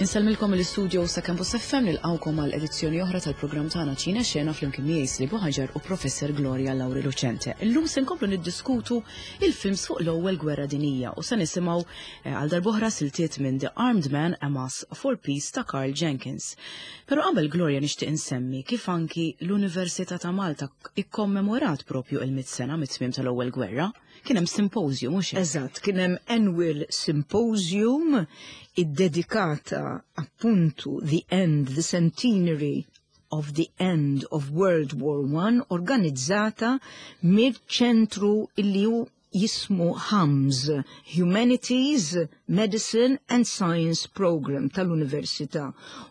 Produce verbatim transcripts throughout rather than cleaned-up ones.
Insellmilkom l-istudio sa' Campus F M, nilqgħukom għal edizzjoni oħra tal-programm tagħna Ċina Xena flimkien miegħi Slibu Ħaġar u Professor Gloria Lauri Lucente. Illum se nkomplu niddiskutu il-films fuq l-ewwel gwerra dinija u se nisimgħu eh, għal darb'oħra siltiet minn The Armed Man, A Mass for Peace ta' Karl Jenkins. Però qabel, Gloria, nixtieq insemmi kif anki l-Università ta' Malta ikkommemorat propju il-mit sena mit-tmiem tal-ewwel gwerra. Kien hemm symposium, mhux hekk? Eżatt, kien hemm annual symposium iddedikata appuntu the end, the centenary of the end of World War One, organizzata mill-ċentru illi hu jismu HUMS, Humanities, Medicine and Science Program tal-Università.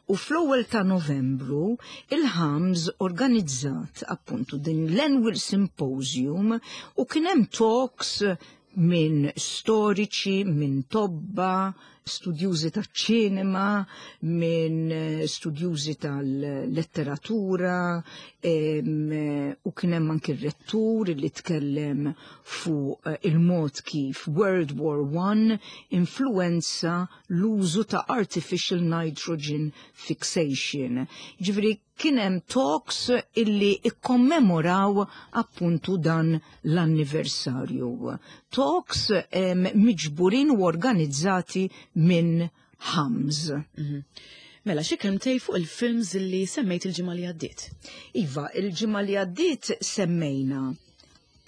U fl-ewwel ta' Novembru il-HUMS organizzat appuntu din l-Annual Symposium u kien hemm talks minn storiċi, minn tobba, studjużi ta' ċinema, minn eh, studjużi tal-letteratura, em, u kien hemm anki r-rettur li tkellem fuq eh, il-mod kif World War One influenza l-użu ta' artificial nitrogen fixation. Ġifieri kien hemm talks illi ikkommemoraw appuntu dan l-anniversarju. Talks em, miġburin u organizzati minn HUMS. Mhm. Mela, xi kelmtej fuq il-films li semmejt il-ġimgħa li għaddiet? Iva, il-ġimgħa li għaddiet semmejna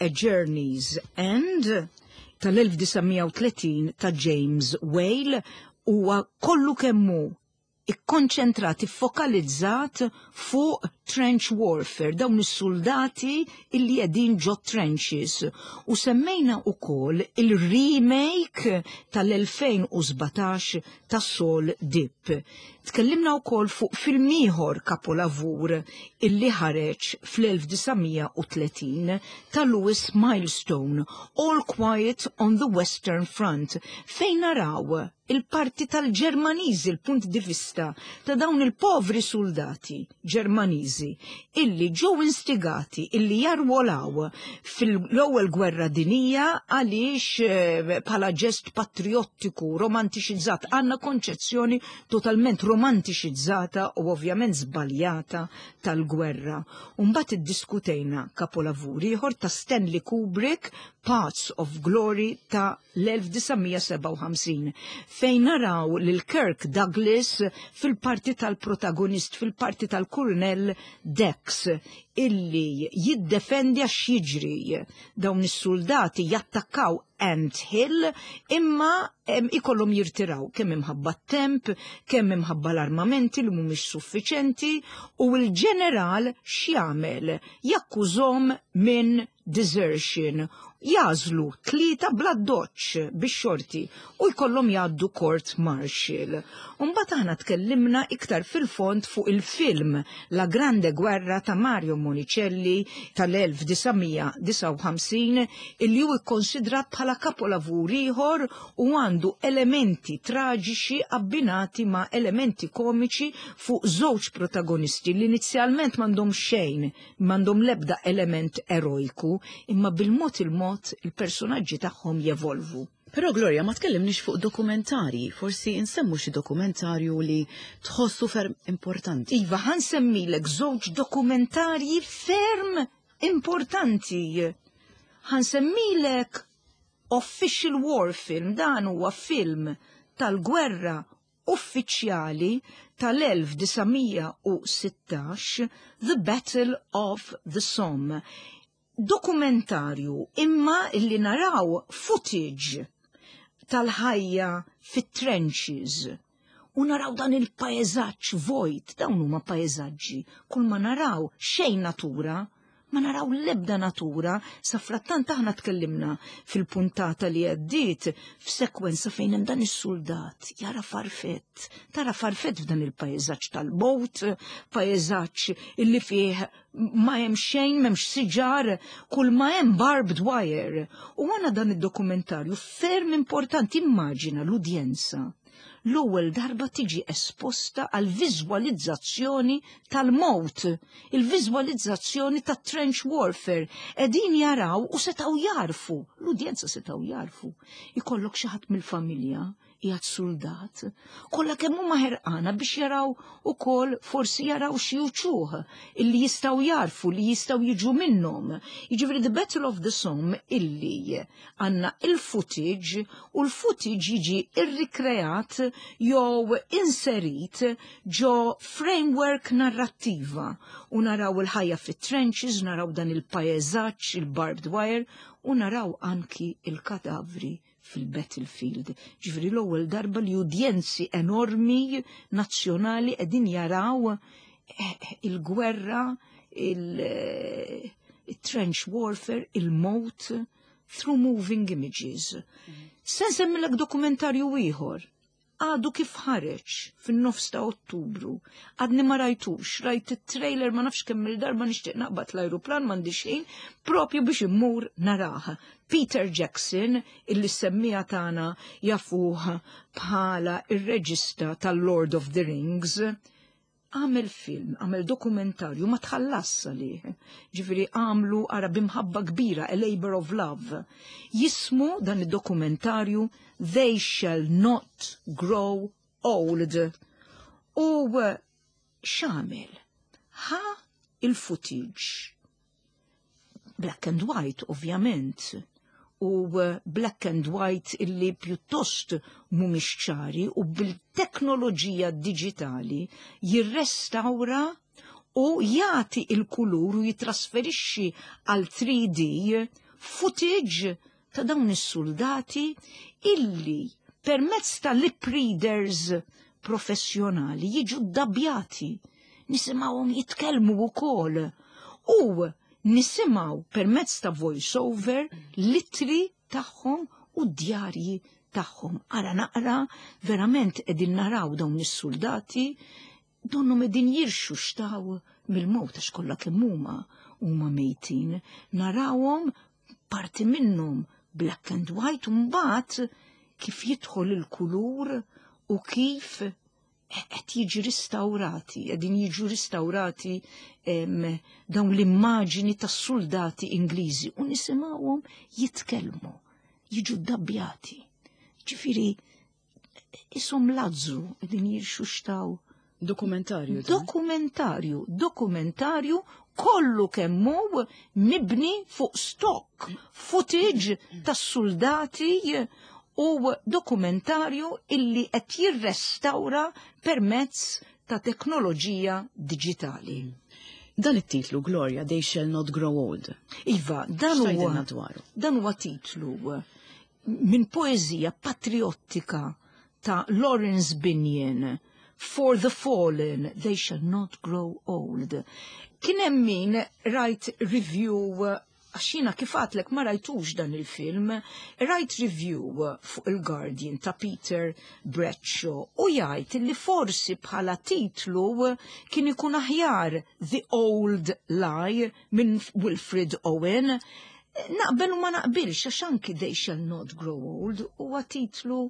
A Journey's End tal-elf disa' mija u tletin ta' James Whale. Huwa kollu kemmu ikkonċentrat, iffokalizzat fuq trench warfare, dawn is-soldati illi qegħdin ġo trenches. U semmejna ukoll il-remake tal-elfejn u sbatax ta' Saul Dibb. Tkellimna wkoll fuq film ieħor kapolavur illi ħareġ fl-elf disa' mija u tletin ta' Lewis Milestone, All Quiet on the Western Front, fejn naraw il-parti tal-Ġermaniżi, il-punt di vista ta' dawn il-povri soldati Ġermaniżi illi ġew instigati illi jarwolaw fil-ewwel gwerra dinija għaliex eh, bħala ġest patriottiku romantiċizzat. Għandna konċezzjoni totalment romantiċizzata u ovvjament żbaljata tal-gwerra. Umbagħad iddiskutejna kapolavur ieħor ta' Stanley Kubrick, Paths of Glory ta' l-elf disa' mija u sebgħa u ħamsin, fejn naraw lil Kirk Douglas fil-parti tal-protagonist, fil-parti tal-Colonel Dex, illi jiddefendi għax jiġri dawn is-soldati jattakkaw Ant Hill, imma em, ikollhom jirtiraw kemm imħabba temp, kemm imħabba l-armamenti li mhumiex suffiċenti, u l-ġeneral x'jagħmel? Jakkużhom minn desertion. Jagħżlu tlieta bla doċ bix-xorti u jkollhom jgħaddu court martial. Umbagħad aħna tkellimna iktar fil-fond fuq il-film La Grande Guerra ta' Mario Monicelli tal-elf disa' mija u disgħa u ħamsin, illi hu ikkonsidrat bħala kapolavur ieħor u għandu elementi traġiċi abbinati ma' elementi komiċi fuq żewġ protagonisti li inizjalment m'għandhom xejn, m'għandhom lebda element erojku, imma bil-mod il-mod il-personaġġi tagħhom jevolvu. Però Gloria, ma tkellimniex fuq dokumentari, forsi insemmu xi dokumentarju li tħossu ferm importanti. Iva, ħa nsemmilek żewġ dokumentarji ferm importanti. Ħa nsemmilek Official War Film, dan huwa film tal-gwerra uffiċjali tal-elf disa' mija u sittax, The Battle of the Somme. Dokumentarju imma illi naraw footage tal-ħajja fit-trenches u naraw dan il-paesaġġ vojt, dawn huma paesaġġi, kull ma naraw xejn natura, ma naraw l-ebda natura. Sa frattant aħna tkellimna fil-puntata li għaddiet f'sekwenza fejn hemm dan is-soldat jara farfett, tara farfett f'dan il-paesaġġ tal-bot, paesaġġ illi fih ma hemm xejn, m'hemmx siġar, kull ma hemm barbed wire. U għana dan id-dokumentarju ferm importanti, immaġina l-udjenza l-ewwel darba tiġi esposta għal viżwalizzazzjoni tal-mowt, il-viżwalizzazzjoni tat trench warfare. Qegħdin jaraw u setgħu jarfu, l-udjenza setgħu jarfu. Ikollok xi ħadd mill-familja qiegħed soldat. Kollha kemm huma ħerqana biex jaraw ukoll forsi jaraw xi uċuħ illi jistgħu jarfu li jistgħu jiġu minnhom. Jiġifieri The Battle of the Somme illi għandna il-footage u l-footage jiġi irrikreat jew inserit ġo framework narrattiva u naraw il-ħajja fit-trenches, naraw dan il-pajjeżaġġ, il-barbed wire u naraw anki il-kadavri fil-battlefield. Ġifieri l-ewwel darba li udjenzi enormi nazzjonali qegħdin jaraw eh, il-gwerra, il-trench warfare, il-mot, through moving images. Se nsemmilek dokumentarju ieħor għadu kif ħareġ fin-nofs ta' Ottubru. Għadni ma rajtux, rajt it-trailer ma nafx kemm il-darba nixtieq naqbad l-ajruplan m'għandi xejn, propju biex immur narah. Peter Jackson, illi semmiegħa tagħna jafuh bħala ir-reġista tal-Lord of the Rings, għamel film, għamel dokumentarju, ma tħallas għalih. Ġifieri għamlu ara b'imħabba kbira, A Labor of Love. Jismu dan id-dokumentarju They Shall Not Grow Old. U x'għamel? Ħa il-footage. Black and white, ovvjament. U black and white illi pjuttost mhumiex ċari u bil-teknoloġija digitali jirrestawra u jagħti il-kulur u jitrasferixxi għal three D footage ta' dawn is-soldati illi permezz ta' lip readers professjonali jiġu ddabbjati, nisimgħuhom jitkellmu wkoll u nisimgħu permezz ta' voice-over l-ittri tagħhom u djarji tagħhom. Ara naqra, verament qegħdin naraw dawn is-soldati donnu qegħdin jirxuxtaw mill-mowt għax kollha kemm huma huma mejtin. Narawhom parti minnhom black and white u mbagħad kif jidħol il-kulur u kif qed jiġi ristawrati, qegħdin jiġu ristawrati dawn l-immaġini tas-soldati Ingliżi u nisimgħuhom jitkellmu, jiġu ddabbjati. Ġifieri ishom Lazzru qegħdin jirxuxtaw. Dokumentarju. Dokumentarju, dokumentarju kollu kemm hu mibni fuq stock footage tas-soldati u dokumentarju illi qed jirrestawra permezz ta' teknoloġija digitali. Dan it-titlu, Gloria, They Shall Not Grow Old. Iva, dan huwa dan huwa titlu minn poeżija patriottika ta' Lawrence Binion. For the fallen, they shall not grow old. Kien hemm min rajt review, għax jiena kif għedtlek ma rajtux dan il-film, rajt review fuq il-Guardian ta' Peter Bradshaw u jgħid li forsi bħala titlu kien ikun aħjar The Old Lie minn Wilfred Owen. Naqbel u ma naqbilx, għax anki They Shall Not Grow Old huwa titlu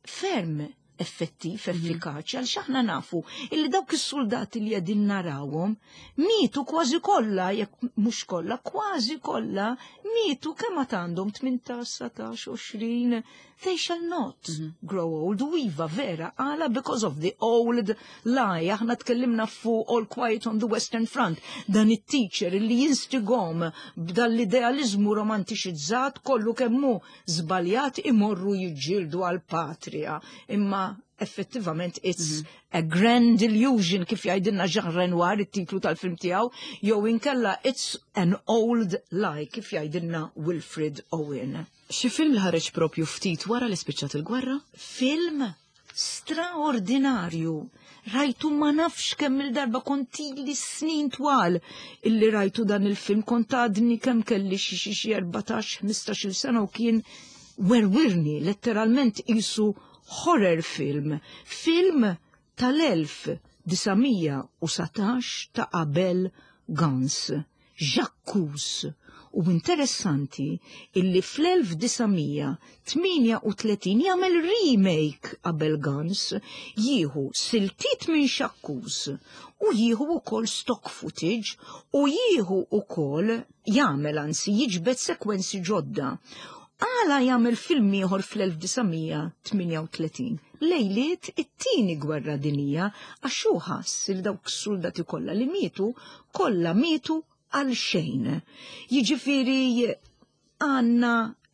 ferm effettiv, mhm. effikaċi, għax aħna nafu illi dawk is-soldati li qegħdin narawhom mietu kważi kollha, jekk mhux kollha, kważi kollha mietu kemm għandhom tmintax, satax, għoxrin, they shall not mm -hmm. grow old. U iva vera, għala because of the old lie. Aħna tkellimna fuq All Quiet on the Western Front, dan it-teacher li jinstigahom b'dal-idealizmu romantiċizzat kollu kemm hu żbaljat imorru jiġġieldu għal-patria. Imma effettivament it's mm -hmm. a grand illusion, kif jgħidilna Jean Renoir, it-titlu tal-film tiegħu, jew inkella it's an old lie, kif jgħidilna Wilfred Owen. Xi film li ħareġ propju ftit wara li spiċċat il-gwerra? Film straordinarju. Rajtu ma nafx kemm il-darba, kont ili snin twal illi rajtu dan il-film, kont għadni kemm kelli xi xi erbatax, ħmistax-il sena u kien werwirni, letteralment qisu horror film. Film tal-elf disa' mija u satax ta' Abel Gance, J'accuse. U interessanti illi fl-elf disa' mija tmienja u tletin jagħmel remake Abel Gance, jieħu siltiet minn J'accuse u jieħu ukoll stock footage u jieħu ukoll jagħmel, anzi jiġbed sekwenzi ġodda. Għala jagħmel film ieħor fl-elf disa' mija tmienja u tletin, lejliet it-tieni gwerra dinija, għax hu ħass li dawk is-soldati kollha li mietu, kollha mietu għal xejn. Jiġifieri għandna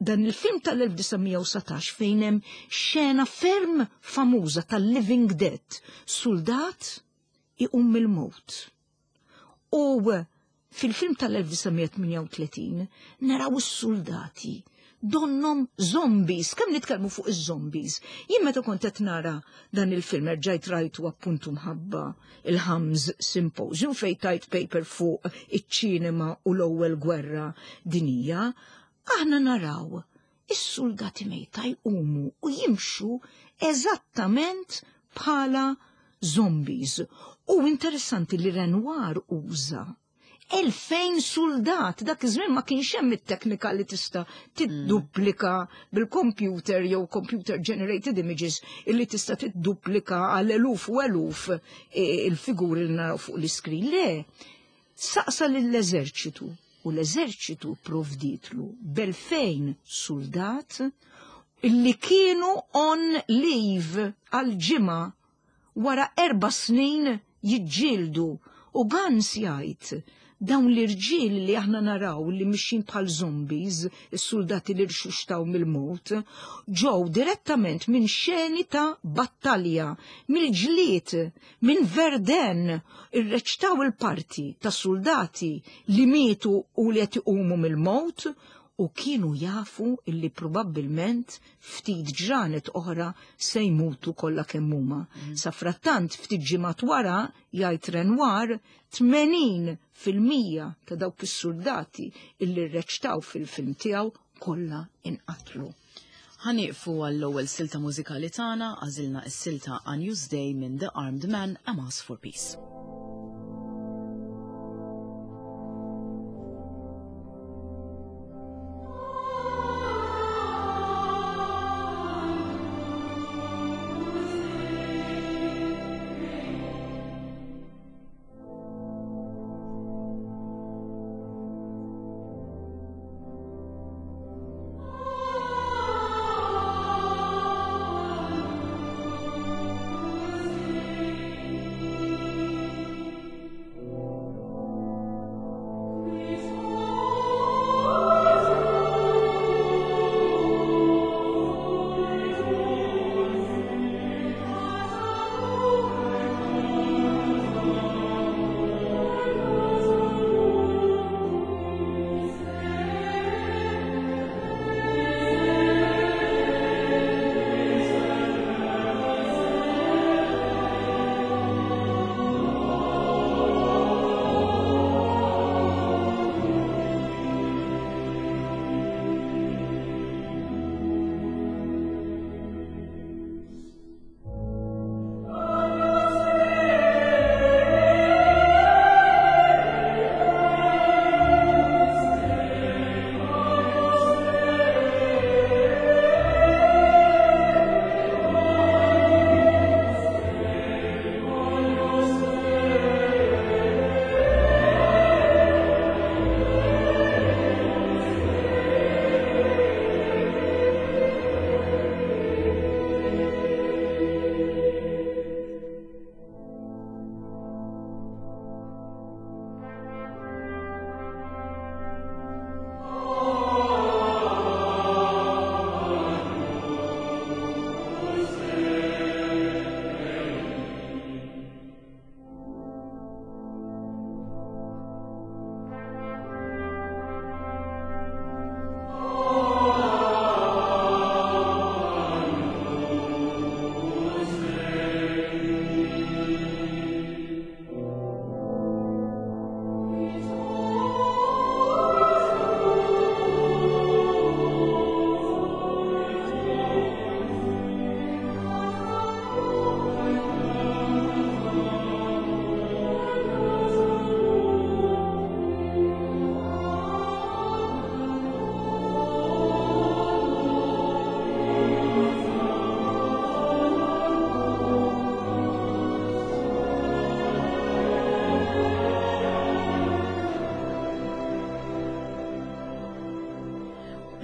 dan il-film tal-elf disa' mija u satax fejn hemm xena ferm famuża tal-Living Dead, soldat iqum mill-mewt. U fil-film tal-elf disa' mija tmienja u tletin naraw is-soldati donnom zombies. Kemm nitkellmu fuq iż-zombies? Jien meta kont qed nara dan il-film erġajt rajtu appuntu mħabba il-Hams Symposium fejn tajt paper fuq iċ-ċinema u l-ewwel gwerra dinija, aħna naraw is-soldati mejta jqumu u jimxu eżattament bħala zombies. U interessanti li Renoir uża elfejn soldat, dak iż-żmien ma kienx hemm it-teknika li tista' tidduplika bil-computer jew computer generated images illi tista' tidduplika għal eluf u eluf, e, il-figuri li naraw fuq l-iskrin. Le, saqsa lill-eżerċitu u l-eżerċitu provditlu b'elfejn soldat illi kienu on leave għal ġimgħa wara erba' snin jiġġieldu. U Gans jgħid dawn l-irġiel li aħna naraw li mixin bħal zombies, is-soldati li rxuxtaw mill-mewt, ġew direttament minn xeni ta' battalja, mill-ġlied, minn Verdun, irreċtaw il-parti ta' soldati li mietu u li qed iqumu mill-mewt u kienu jafu illi probabbilment ftit ġranet oħra se jmutu kollha kemm huma. Mm. Sa frattant ftit ġimgħat wara jgħid Renoir tmenin fil-mija ta' dawk is-soldati illi rreċtaw fil-film tiegħu kollha inqatlu. Ħanieqfu għall-ewwel silta mużikali tagħna, għażilna s-silta Agnus Dei minn The Armed Man, A Mass for Peace. Thank you.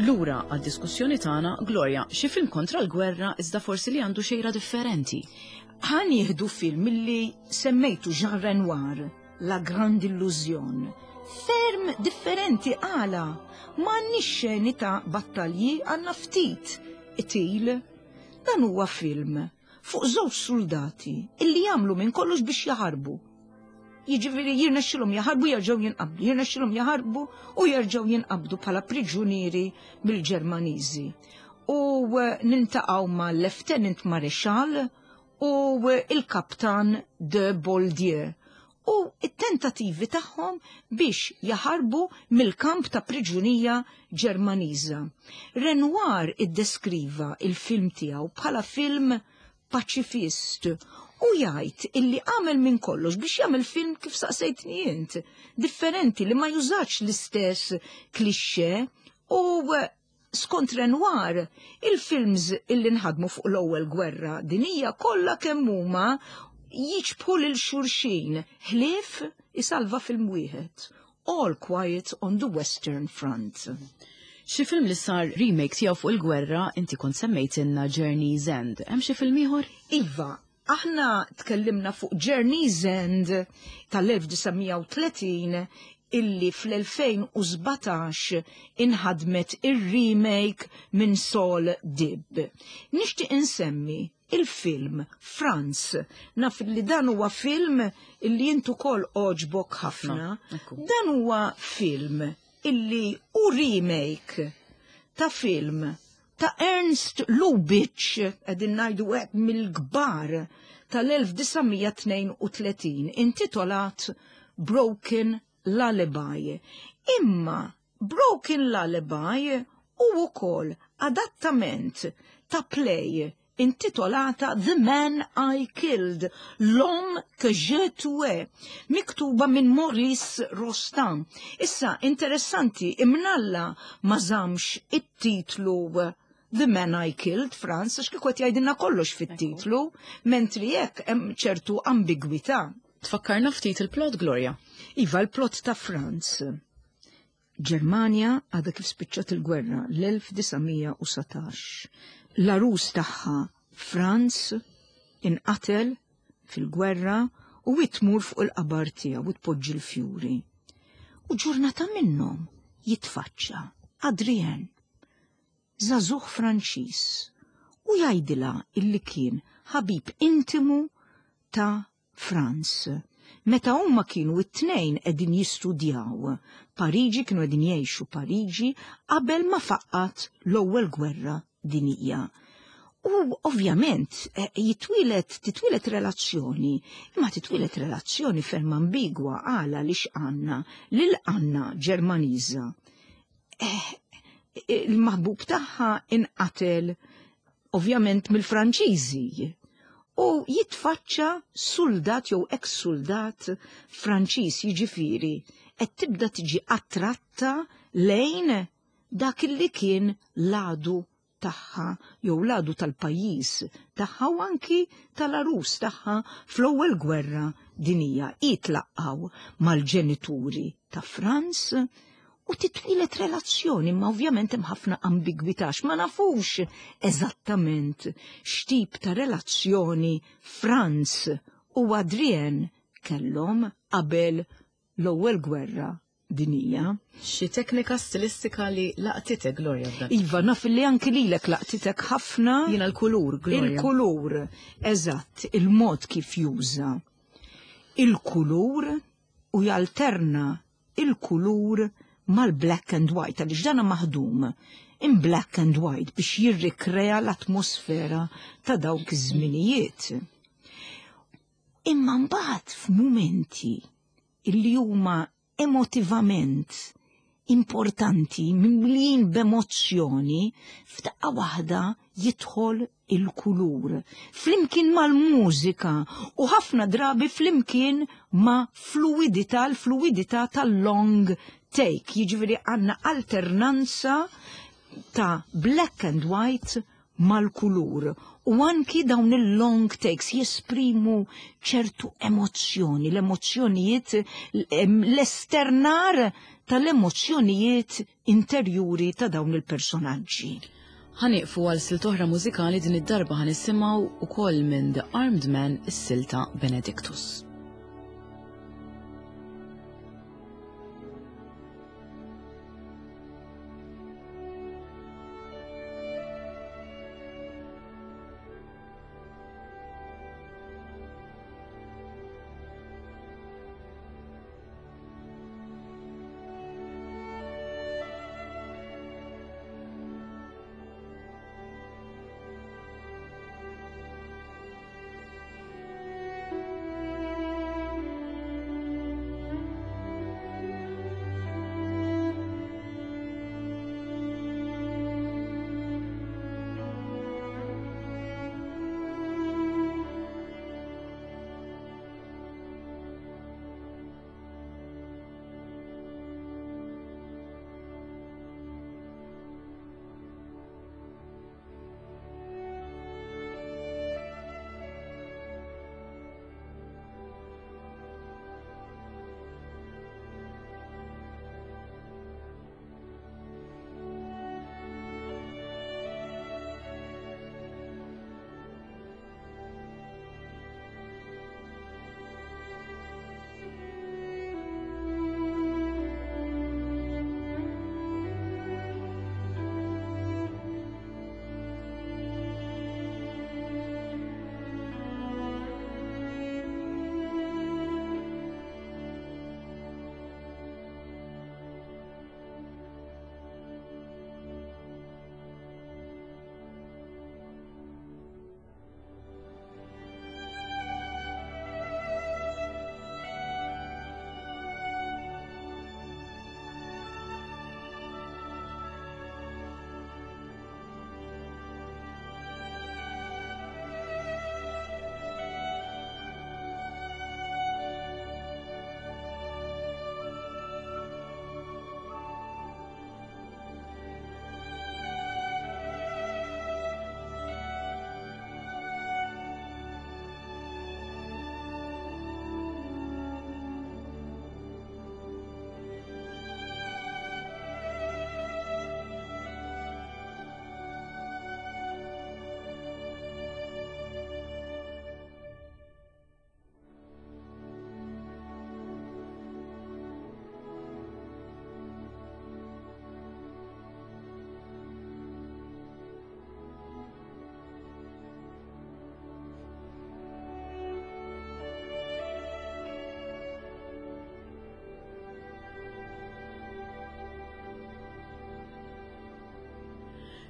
Lura għad-diskussjoni tagħna, Gloria, xi film kontra l-gwerra iżda forsi li għandu xejra differenti. Ħa nieħdu film illi semmejtu, Jean Renoir, La Grande Illusion. Ferm differenti għala. M'għandniex xeni ta' battalji, għandna ftit qtil. Dan huwa film fuq żewġ soldati illi jagħmlu minn kollox biex jaħarbu. Jiġifieri jirnexxilhom jaħarbu, jerġgħu jinqabdu, jirnexxilhom jaħarbu u jerġgħu jinqabdu bħala priġunieri mill-Ġermaniżi. U eh, niltaqgħu ma' Lieutenant Maréchal u eh, il-Kaptan de Boldieu u it-tentativi tagħhom biex jaħarbu mill-kamp ta' priġunija Ġermaniża. Renoir iddeskriva il-film tiegħu bħala film paċifist u jgħid illi għamel minn kollox biex jagħmel film, kif saqsejtni int, differenti, li ma jużax l-istess cliché. U eh, skont Renoir, il-films illi nħadmu fuq l-Ewwel Gwerra Dinija kollha kemm huma jixbħu lil xulxin, ħlief isalva film wieħed, All Quiet on the Western Front. Xi film li sar remake tiegħu fuq il-gwerra, inti kont semmejtilna Journey's End. Hemm xi film ieħor? Iva, aħna tkellimna fuq Journey's End tal-elf disa' mija u tletin illi fl-elfejn u sbatax inħadmet ir-remake minn Saul Dibb. Nixtieq insemmi il-film Franz. Naf li dan huwa film illi int ukoll għoġbok ħafna. Ekku. Dan huwa film illi hu remake ta' film ta' Ernst Lubitsch, qegħdin ngħidu hekk mill-kbar, tal-elf disa' mija tnejn u tletin, intitolat Broken Lullaby. Imma Broken Lullaby hu wkoll adattament ta' play intitolata The Man I Killed, L'Homme que j'ai tué, miktuba minn Maurice Rostand. Issa, interessanti, imnalla ma żammx it-titlu The Man I Killed, Franz, għax kieku qed jgħidilna kollox fit-titlu, mentri jekk hemm ċertu ambigwità. Tfakkarna ftit il-plot, Gloria. Iva, l-plot ta' Franz. Ġermanja għadha kif spiċċat il-gwerra l-elf disa' mija u satax. L-għarus tagħha Franz inqatel fil-gwerra u tmur fuq il-qabar tiegħu u tpoġġi l-fjuri. U ġurnata minnhom jitfaċċa Adrien, żagħżugħ Franċiż, u jgħidilha illi kien ħabib intimu ta' Franz. Meta huma kienu it-tnejn qegħdin jistudjaw Pariġi, kienu qegħdin jgħixu Pariġi qabel ma faqqat l-Ewwel Gwerra Dinija. U ovvjament eh, jitwieled titwieled relazzjoni, imma titwieled relazzjoni ferm ambigwa għala li x'għandna lil Anna Ġermaniża. Eh, il-maħbub tagħha inqatel ovvjament mill-Franċiżi u jitfaċċa soldat jew ex-soldat Franċiż, jiġifieri qed tibda tiġi attratta lejn dak li kien l-għadu tagħha jew l-għadu tal-pajjiż tagħha u anki tal-għarus tagħha fl-Ewwel Gwerra Dinija. Jitlaqgħu mal-ġenituri ta' Franz u titwieled relazzjoni, ma ovvjament hemm ħafna ambigwità, ma nafux eżattament x'tip ta' relazzjoni Franz u Adrien kellhom qabel l-Ewwel Gwerra Dinija. Xi teknika stilistika li laqtitek, Gloria, f'dan? Iva, naf li anki lilek laqtitek ħafna. Jiena l-kulur, Gloria. Il-kulur, eżatt, il-mod kif juża il-kulur u jalterna il-kulur mal-black and white, għaliex dana maħdum in black and white biex jirrikrea l-atmosfera ta' dawk iż-żminijiet. Imma mbagħad f'mumenti illi huma emotivament importanti, mimlijin b'emozzjoni, f'daqqa waħda jidħol il-kulur. Flimkien mal-mużika u ħafna drabi flimkien ma' fluidità, l-fluidità tal-long take. Jiġifieri għandna alternanza ta' black and white mal-kulur u anki dawn il-long takes jesprimu ċertu emozzjoni, l-emozzjonijiet, l-esternar tal-emozzjonijiet interjuri ta' dawn il-personaġġi. Ħa nieqfu għal silta oħra mużikali, din id-darba ħa nisimgħu ukoll minn The Armed Man is-silta Benedictus.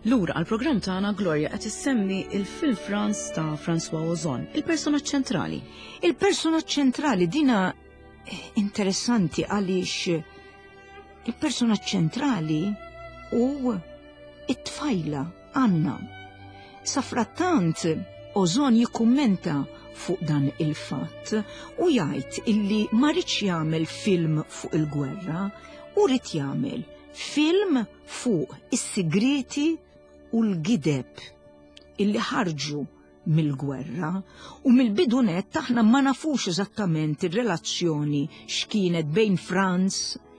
Lura għal-programm tagħna, Gloria qed issemmi il-film Franz ta' François Ozon, il-personaġġ ċentrali. Il-personaġġ ċentrali dina interessanti għaliex il-personaġġ ċentrali u it-tfajla Anna. Safrattant Ozon jikkummenta fuq dan il-fatt u jgħid illi ma riedx jagħmel film fuq il-gwerra u ried jagħmel film fuq is-sigriti u l-gideb illi ħarġu mill-gwerra, u mill-bidu nett aħna ma nafux eżattament ir-relazzjoni x'kienet bejn Franz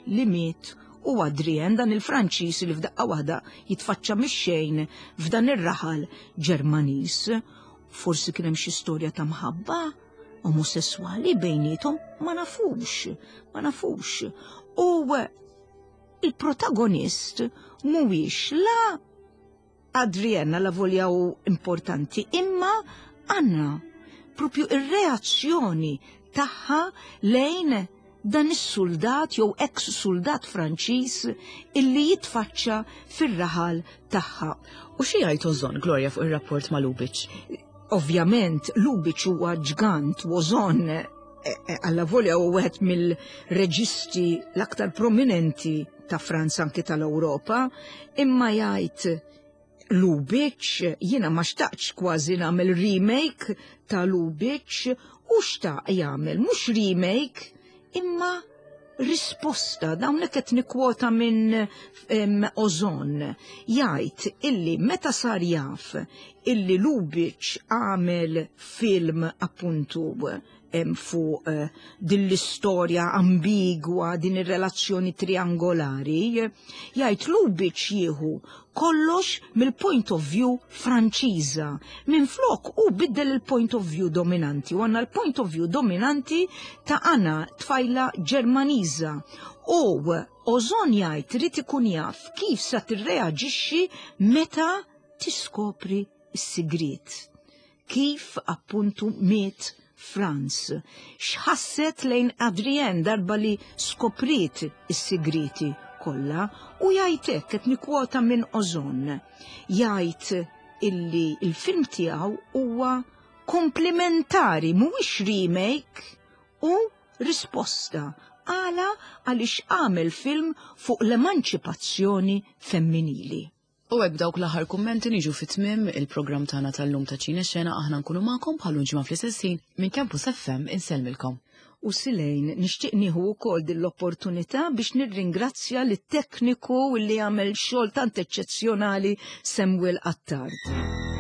li miet u Adrien, dan il-Franċiż li f'daqqa waħda jitfaċċa mix-xejn f'dan ir-raħal Ġermaniż. Forsi kien hemm xi storja ta' mħabba omosessuali bejniethom, ma nafux, ma nafux. U il-protagonist mhuwiex la Adrienna, la volja u importanti, imma Anna, propju ir-reazzjoni tagħha lejn dan is-soldat jew ex-soldat Franċiż illi jitfaċċa fir-raħal tagħha. U xi jgħid Ozon, Gloria, fuq ir-rapport ma' Lubitsch? Ovvjament, Lubitsch huwa ġgant, Ozon alla volja u wieħed mill-reġisti l-aktar prominenti ta' Franza, anki tal-Ewropa, imma jgħid Lubitsch, jiena ma xtaqx kważi nagħmel remake ta' Lubitsch, u xtaq jagħmel mhux remake imma Risposta, dawn qed nikkwota minn Ozon, jgħid illi meta sar jaf illi Lubitsch għamel film appuntu fuq eh, din l-istorja ambigwa, din ir-relazzjoni triangolari, jgħid Lubitsch jieħu kollox mill-point of view Franċiża. Minn flok u biddel il-point of view dominanti, u għandna l-point of view dominanti ta' Anna, tfajla Ġermaniża. U Ozon jgħid irid ikun jaf kif sa tirreaġixxi meta tiskopri s-sigriet. Kif appuntu miet Franz. X'ħasset lejn Adrienne darba li skopriet is-sigriti kollha? U jgħidlek, qed nikkwota minn Ozon, jgħid illi il-film tiegħu huwa komplementari, mhuwiex remake u risposta. Għala? Għaliex għamel film fuq l-emanċipazzjoni femminili. U hekk, dawk l-aħħar kummenti, niġu fit-tmiem il-programm tagħna tal-lum ta' Ċine Xena. Aħna nkunu magħkom bħal ġimgħa fl-istess ħin. Minn Campus F M insellmilkom. U Silejn, nixtieq nieħu wkoll din l-opportunità biex nirringrazzja lit-tekniku li għamel xogħol tant eċċezzjonali, Samuel Attard.